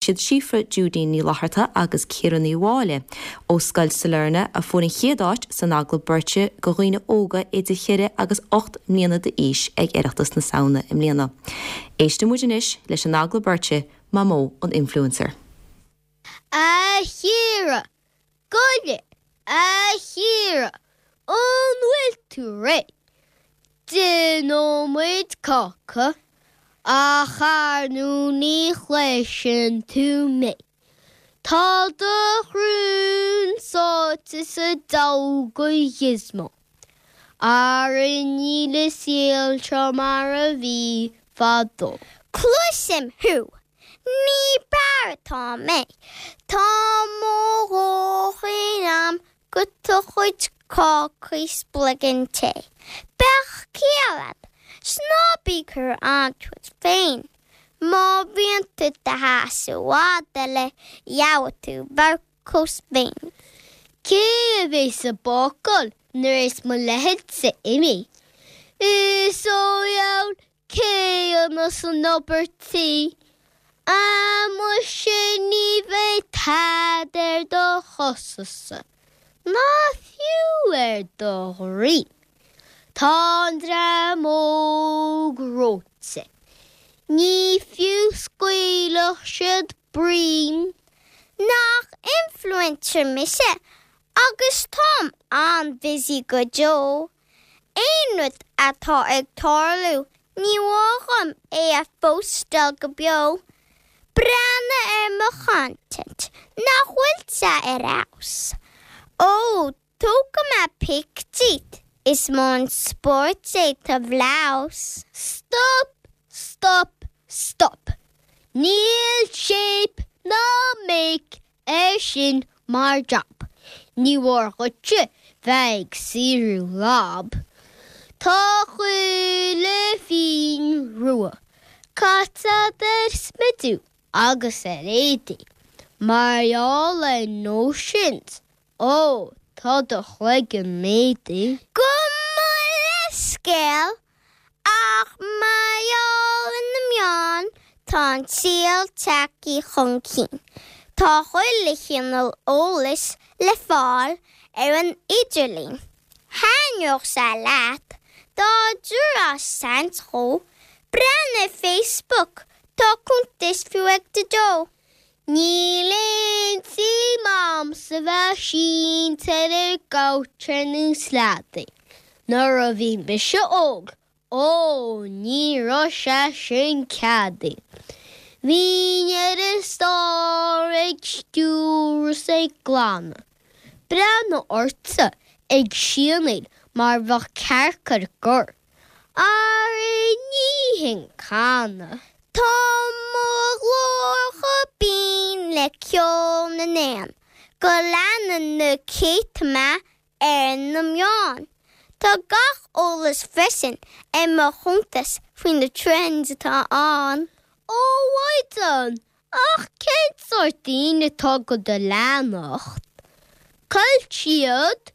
Siad Síofra Judeen Ní Fhlatharta agus Ciara Ní Mháille ó Scoil Sailearna a fuair an chéad áit san agallamh beirte go dhaoine óga idir cheithre agus 8 mbliana d'aois ag Oireachtas na Samhna i mbliana. Éisteann muid anois leis an agallamh beirte Mamó an Influencer. A Chiara, Goile, a Chiara, an bhfuil tú réidh? Déanfaidh muid cáca, ach ar ndú ní chloiseann tú mé. Tá do shrón sáite sa diabhal de ghizmo. Ara níl an saol seo mar a bhí fadó. Cloisim thú! Ní b'fhearr atá mé. Tá mo dhóthain a'm go do chuid cácaí 's bloigín tae. Bheadh ciall a'd, 's ná bí ag cur iontu duit féin. Má bhíonn tú do sheasamh i bhfad eile, gheobhaidh tú vorcós féin. Cé a bheas ag bácáil nuair is mo leithéidse imithe? Is ó dheabhal Cé a dhéanfas an obair tí? Ah muise ní bheidh tada ar do chosa-sa, ná fiú ar do dhroim. Tá an dream óg reoite. Ní fiú scaoilfeadh siad broim. Nach influencer mise agus táim an-busy go deo. Aon rud atá ag tarlú, ní mór dhom é a phóstáil go beo. Breathnaigh ar mo chontent, nach bhfuil sé ar fheabhas? Ó, tógfaidh mé pic díot, is mó an spórt é do bhlouse. Stop! Stop! Stop! Níl shape ná make air sin mar job. Ní mór dhuitse bheith ag saothrú lab. Tá chuile phingin rua caite a'd ar smidiú agus ar éadaí. Mar gheall ar notions, ó, tá do chloigeann méadaithe. Gabh mo leithscéal Ach mar gheall ar na meáin, tá an saol tagtha chun cinn. Tá chuile chineál eolais le fáil ar an idirlíon. Thaitneodh sé leat dá dtabharfá seans dhó. Breathnaigh ar Facebook, tá cuntas fiú ag Daideo. Níl aon tsuim a'msa bheith sínte ar an gcouch ar nós leadaí. Nuair a bhí mise óg, ó, ní raibh sé sin ceadaithe. Bhínn ar an stár ag stiúradh 's ag glanadh. Breathnaigh ortsa ag sianaíl mar bheadh cearc ar gor. Ara ní hin canadh. Tá mo ghlór chomh binn le ceol na n-éan go leanann na céadta mé ar na meáin. Tá gach eolas freisin ar mo chuntas faoi na trends atá ann. Ó a Mhaighdean, ach cén sórt daoine atá do do leanacht? Cá bhfuil siad?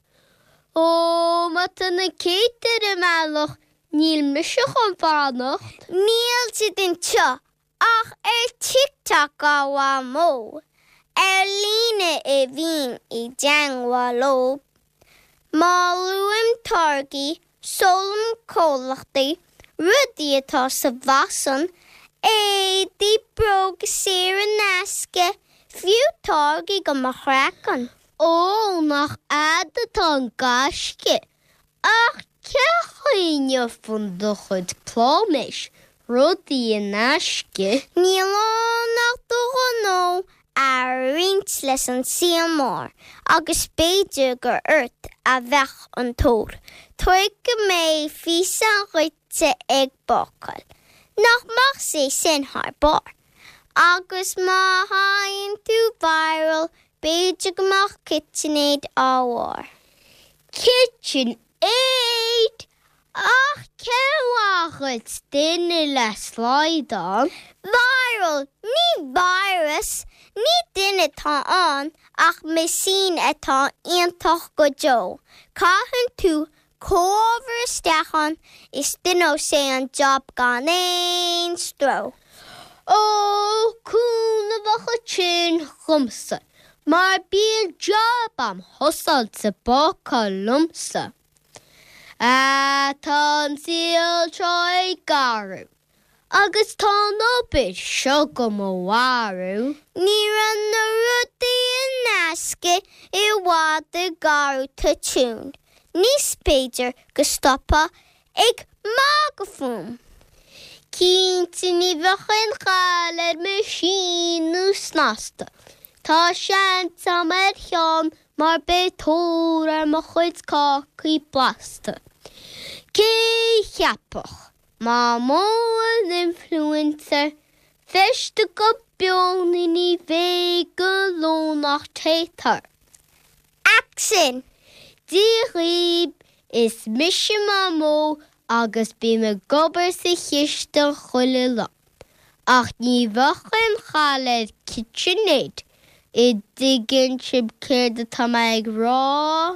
Ó, má tá na céadta ar an mbealach, níl mise chun fanacht. Níl siad anseo ach ar TikTok a Mhamó. Ar líne a bhím i dteangmháil leo. Má luaim táirgí, seolaim comhlachtaí, rudaí atá sa bhfaisean, éadaí, bróga saor in aisce, fiú táirgí do mo chraiceann. Ó, nach a'd atá an gaisce! Ach cén chaoi a ngeofann do chuid pláiméis rudaí in aisce? Níl ann ach do ghnó a roinnt leis an saol mór agus b'fhéidir gur ort a bheadh an tóir. Tógfaidh mé físeán dhuitse ag bácáil. Nach mbeadh sé sin thar barr? Agus má théann tú viral b'fhéidir go mbeadh KitchenAid á bharr. Kitchen Aid! Ach cén mhaith dhuit duine le slaghdán? Viral, ní virus! Ní duine atá ann ach meaisín atá iontach go deo. Caitheann tú comhábhar isteach ann is déanfaidh sé an job gan aon stró. Ó, cúnamh a bheadh ansin dhomsa mar bíonn jab a'm thusáilte bácáil liomsa. Ah, tá an saol seo ag athrú agus tá an obair seo go mo mharú. Ní raibh na rudaí in aisce i bhfad ag athrú toitiún níos b'fhéidir go stopfá ag magadh fúm. Cinnte ní bheadh aon chall ar meaisín snasta. Tá seans a'm ar cheann mar beidh tóir ar mo chuid cácaí blasta. Cé cheapfadh Mamó an influencer feiste go beo ní bheidh go lón ach téatar. Action! Dia dhaoib, is mise Mamó agus bím ag obair sa chistin chuile lá. Ach ní bheadh aon chall ar KitchenAid, an dtuigeann sibh céard atá mé ag rá?